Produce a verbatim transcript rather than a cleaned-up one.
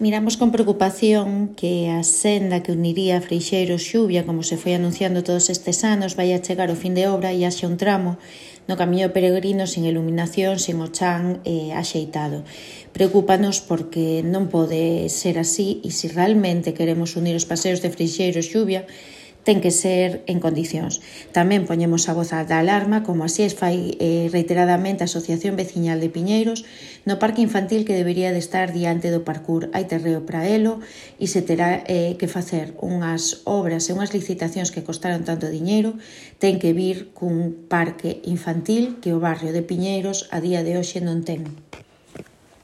Miramos con preocupación que a senda que uniría Freixeiro-Xuvia, como se foi anunciando todos estes anos, vai a chegar ao fin de obra e haxa un tramo no camiño peregrino sin iluminación, sin o chan eh, axeitado. Preocúpanos porque non pode ser así e se realmente queremos unir os paseos de Freixeiro-Xuvia, ten que ser en condicións. Tamén poñemos a voz da alarma, como así es fai eh, reiteradamente a Asociación Veciñal de Piñeiros, no parque infantil que debería de estar diante do parkour. Hai terreo para elo e se terá eh, que facer unhas obras e unhas licitacións que costaron tanto diñeiro, ten que vir cun parque infantil que o barrio de Piñeiros a día de hoxe non ten.